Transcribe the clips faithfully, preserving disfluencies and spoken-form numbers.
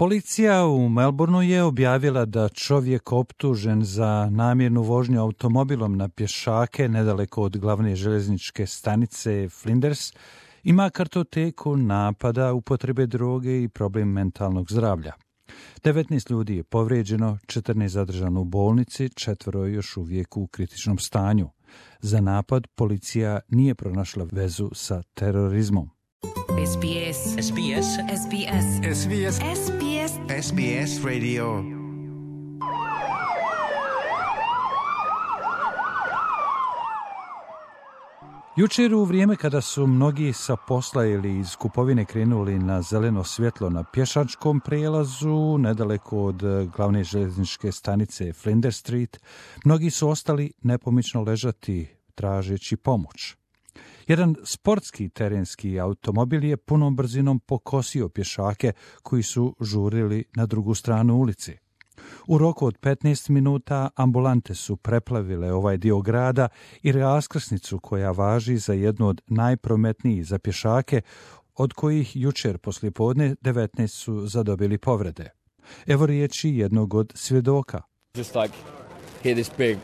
Policija u Melbourneu je objavila da čovjek optužen za namjernu vožnju automobilom na pješake nedaleko od glavne željezničke stanice Flinders ima kartoteku napada, upotrebe droge i problem mentalnog zdravlja. devetnaest ljudi je povrijeđeno, četrnaest zadržano u bolnici, četvoro je još uvijek u kritičnom stanju. Za napad policija nije pronašla vezu sa terorizmom. S B S. S B S. S B S. S B S. S B S. S B S Radio. Jučer u vrijeme kada su mnogi sa posla ili iz kupovine krenuli na zeleno svjetlo na pješačkom prijelazu nedaleko od glavne željezničke stanice Flinders Street, mnogi su ostali nepomično ležati tražeći pomoć. Jedan sportski terenski automobil je punom brzinom pokosio pješake koji su žurili na drugu stranu ulici. U roku od petnaest minuta ambulante su preplavile ovaj dio grada i raskrsnicu koja važi za jednu od najprometnijih za pješake, od kojih jučer poslijepodne devetnaest su zadobili povrede. Evo riječi jednog od svjedoka. Just like hear this big,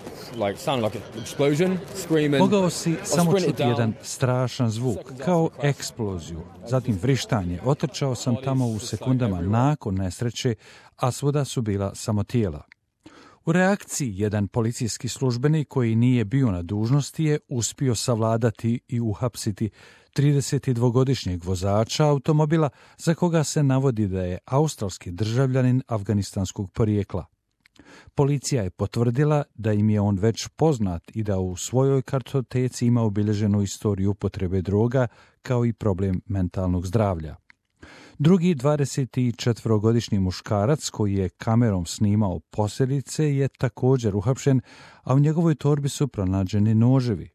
like sound like an explosion, screaming. Mogao si samo čuti jedan strašan zvuk, kao eksploziju, zatim vrištanje. Otrčao sam tamo u sekundama nakon nesreće, a svuda su bila samo tijela. U reakciji jedan policijski službenik koji nije bio na dužnosti je uspio savladati i uhapsiti tridesetdvogodišnjeg vozača automobila za koga se navodi da je australski državljanin afganistanskog porijekla. Policija je potvrdila da im je on već poznat i da u svojoj kartoteci ima obilježenu istoriju upotrebe droga kao i problem mentalnog zdravlja. Drugi dvadesetčetvorogodišnji muškarac koji je kamerom snimao posljedice je također uhapšen, a u njegovoj torbi su pronađeni noževi.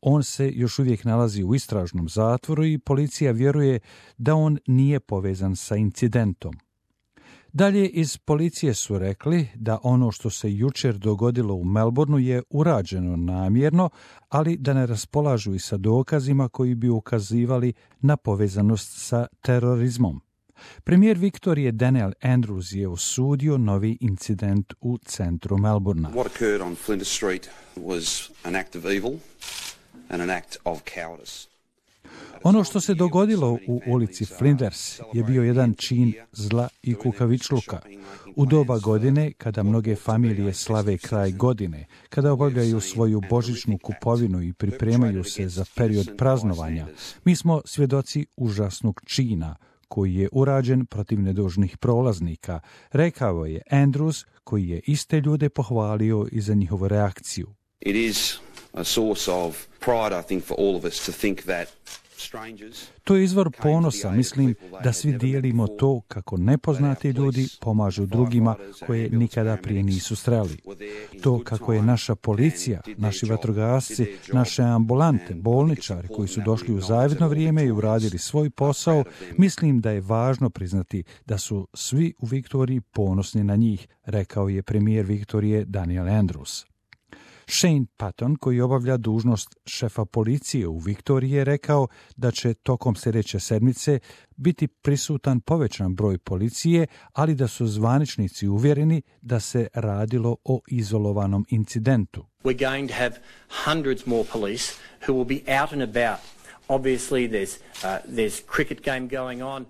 On se još uvijek nalazi u istražnom zatvoru i policija vjeruje da on nije povezan sa incidentom. Dalje iz policije su rekli da ono što se jučer dogodilo u Melbourneu je urađeno namjerno, ali da ne raspolažu i sa dokazima koji bi ukazivali na povezanost sa terorizmom. Premijer Viktorije Daniel Andrews je osudio novi incident u centru Melbournea. What occurred on Flinders Street was an act of evil and an act of cowardice. Ono što se dogodilo u ulici Flinders je bio jedan čin zla i kukavičluka. U doba godine, kada mnoge familije slave kraj godine, kada obavljaju svoju božićnu kupovinu i pripremaju se za period praznovanja, mi smo svjedoci užasnog čina koji je urađen protiv nedužnih prolaznika, rekao je Andrews, koji je iste ljude pohvalio i za njihovu reakciju. It is a source of pride, I think, for all of us to think that to je izvor ponosa, mislim da svi dijelimo to kako nepoznati ljudi pomažu drugima koje nikada prije nisu sreli. To kako je naša policija, naši vatrogasci, naše ambulante, bolničari koji su došli u zavidno vrijeme i uradili svoj posao, mislim da je važno priznati da su svi u Viktoriji ponosni na njih, rekao je premijer Viktorije Daniel Andrews. Shane Patton, koji obavlja dužnost šefa policije u Viktoriji, je rekao da će tokom sljedeće sedmice biti prisutan povećan broj policije, ali da su zvaničnici uvjereni da se radilo o izolovanom incidentu. We're going to have hundreds more police who will be out and about. Obviously there's uh, there's cricket game going on.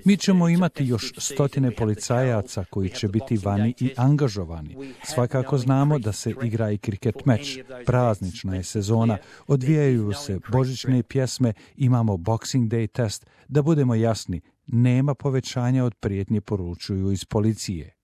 Mi ćemo imati još stotine policajaca koji će biti vani i angažovani. Svakako znamo da se igra i kriket meč. Praznična je sezona, odvijaju se božićne pjesme, imamo Boxing Day test. Da budemo jasni, nema povećanja od prijetnje, poručuju iz policije.